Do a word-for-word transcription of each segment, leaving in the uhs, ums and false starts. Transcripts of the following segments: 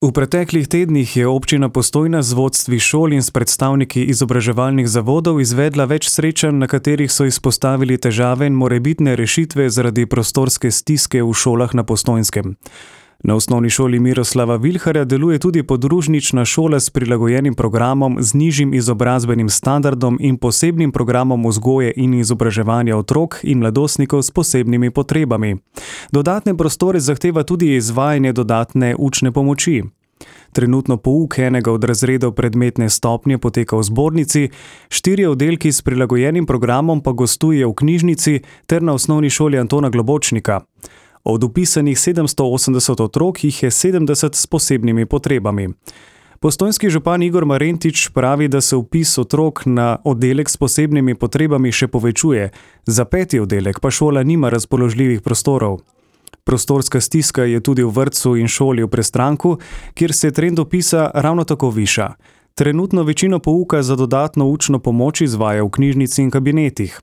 V preteklih tednih je občina Postojna z vodstvi šol in s predstavniki izobraževalnih zavodov izvedla več srečanj, na katerih so izpostavili težave in morebitne rešitve zaradi prostorske stiske v šolah na Postojnskem. Na osnovni šoli Miroslava Vilharja deluje tudi podružnična šola s prilagojenim programom z nižjim izobrazbenim standardom in posebnim programom vzgoje in izobraževanja otrok in mladostnikov s posebnimi potrebami. Dodatne prostore zahteva tudi izvajanje dodatne učne pomoči. Trenutno pouk enega od razredov predmetne stopnje poteka v zbornici, štirje oddelki s prilagojenim programom pa gostuje v knjižnici ter na osnovni šoli Antona Globočnika. Od vpisanih sedemsto osemdeset otrok jih je sedemdeset s posebnimi potrebami. Postojnski župan Igor Marentič pravi, da se vpis otrok na oddelek s posebnimi potrebami še povečuje, za peti oddelek pa šola nima razpoložljivih prostorov. Prostorska stiska je tudi v vrtcu in šoli v Prestranku, kjer se trend vpisa ravno tako viša. Trenutno večino pouka za dodatno učno pomoč izvaja v knjižnici in kabinetih.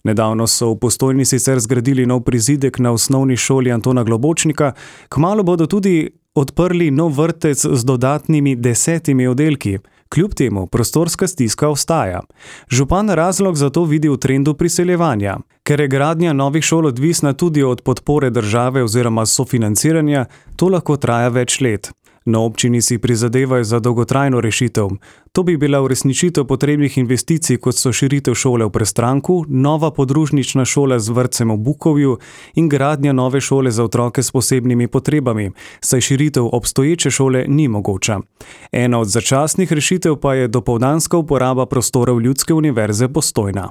Nedavno so v Postojni sicer zgradili nov prizidek na osnovni šoli Antona Globočnika, kmalu bodo tudi odprli nov vrtec z dodatnimi desetimi oddelki. Kljub temu prostorska stiska ostaja. Župan razlog za to vidi v trendu priseljevanja. Ker je gradnja novih šol odvisna tudi od podpore države oziroma sofinanciranja, to lahko traja več let. Na občini si prizadevajo za dolgotrajno rešitev. To bi bila uresničitev potrebnih investicij, kot so širitev šole v Prestranku, nova podružnična šola z vrtcem v Bukovju in gradnja nove šole za otroke s posebnimi potrebami, saj širitev obstoječe šole ni mogoča. Ena od začasnih rešitev pa je dopoldanska uporaba prostorov Ljudske univerze Postojna.